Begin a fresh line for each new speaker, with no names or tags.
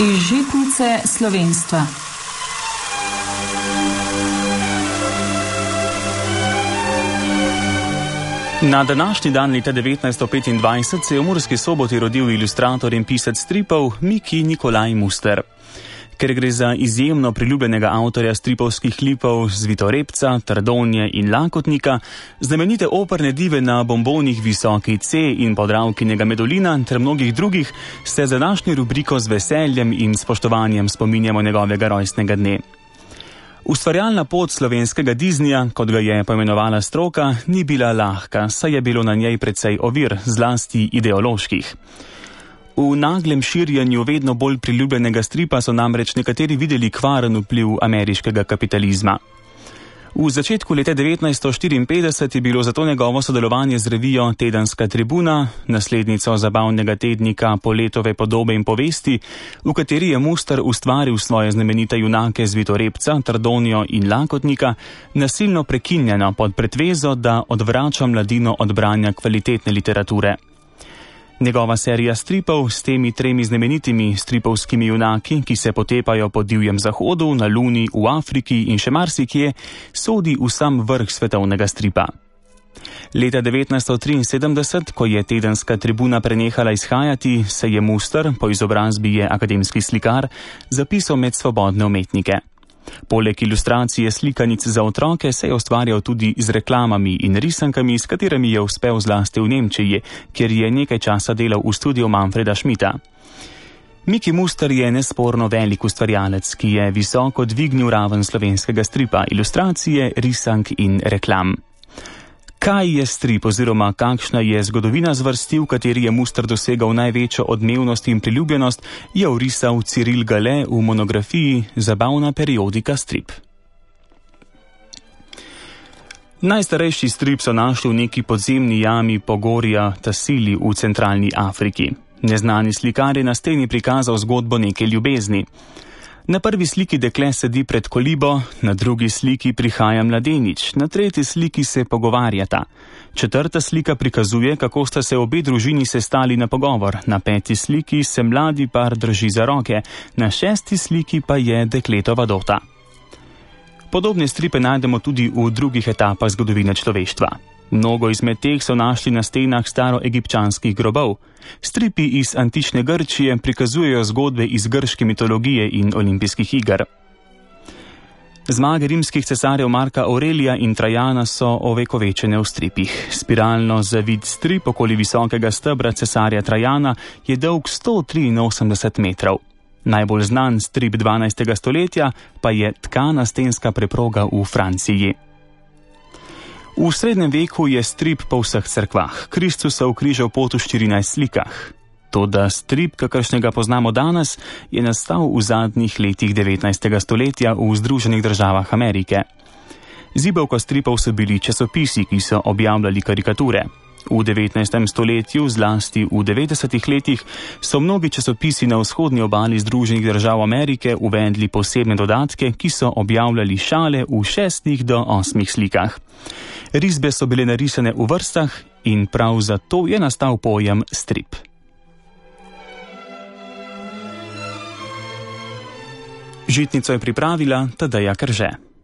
Iz žitnice slovenstva.
Na današnji dan leta 1925 se je v Murski Soboti rodil ilustrator in pisec stripov Miki Nikolaj Muster. Ker gre za izjemno priljubljenega avtorja stripovskih lipov Zvitorepca, Trdonje in Lakotnika, znamenite operne dive na bombonih Visoki C in Podravkinega Medulina ter mnogih drugih, se za današnjo rubriko z veseljem in spoštovanjem spominjamo njegovega rojstnega dne. Ustvarjalna pot slovenskega Disneyja, kot ga je poimenovala stroka, ni bila lahka, saj je bilo na njej precej ovir, zlasti ideoloških. V naglem širjenju vedno bolj priljubljenega stripa so namreč nekateri videli kvaren vpliv ameriškega kapitalizma. V začetku leta 1954 je bilo zato njegovo sodelovanje z revijo Tedenska tribuna, naslednico zabavnega tednika Poletove podobe in povesti, v kateri je Muster ustvaril svoje znamenite junake Zvitorepca, Trdonjo in Lakotnika, nasilno prekinjeno pod pretvezo, da odvrača mladino od branja kvalitetne literature. Njegova serija stripov s temi tremi znamenitimi stripovskimi junaki, ki se potepajo po divjem zahodu, na Luni, v Afriki in še marsikje, sodi v sam vrh svetovnega stripa. Leta 1973, ko je Tedenska tribuna prenehala izhajati, se je Muster, po izobrazbi je akademski slikar, zapisal med svobodne umetnike. Poleg ilustracije slikanic za otroke se je ustvarjal tudi z reklamami in risankami, s katerimi je uspel zlasti v Nemčiji, kjer je nekaj časa delal v studiu Manfreda Schmidta. Miki Muster je nesporno velik ustvarjalec, ki je visoko dvignil raven slovenskega stripa, ilustracije, risank in reklam. Kaj je strip oziroma kakšna je zgodovina zvrsti, v kateri je Muster dosegal največjo odmevnost in priljubljenost, je orisal Cyril Gale v monografiji Zabavna periodika strip. Najstarejši strip so našli v neki podzemni jami Pogorja Tassili v centralni Afriki. Neznani slikar je na steni prikazal zgodbo neke ljubezni. Na prvi sliki dekle sedi pred kolibo, na drugi sliki prihaja mladenič, na tretji sliki se pogovarjata. Četrta slika prikazuje, kako sta se obe družini sestali na pogovor, na peti sliki se mladi par drži za roke, na šesti sliki pa je dekletova dota. Podobne stripe najdemo tudi v drugih etapah zgodovine človeštva. Mnogo izmed teh so našli na stenah staroegipčanskih grobov. Stripi iz antične Grčije prikazujejo zgodbe iz grške mitologije in olimpijskih iger. Zmage rimskih cesarjev Marka Aurelija in Trajana so ovekovečene v stripih. Spiralno zavit strip okoli visokega stebra cesarja Trajana je dolg 183 metrov. Najbolj znan strip 12. stoletja pa je Tkana stenska preproga v Franciji. V srednjem veku je strip po vseh cerkvah. Kristus se ukrižal pot v 14 slikah. Toda strip, kakršnega poznamo danes, je nastal v zadnjih letih 19. stoletja v Združenih državah Amerike. Zibelka stripov so bili časopisi, ki so objavljali karikature. V 19. stoletju, zlasti v 90. letih, so mnogi časopisi na vzhodni obali Združenih držav Amerike uvedli posebne dodatke, ki so objavljali šale v 6 do 8 slikah. Risbe so bile narisane v vrstah in prav zato je nastal pojem strip. Žitnico je pripravila Tadeja Krže.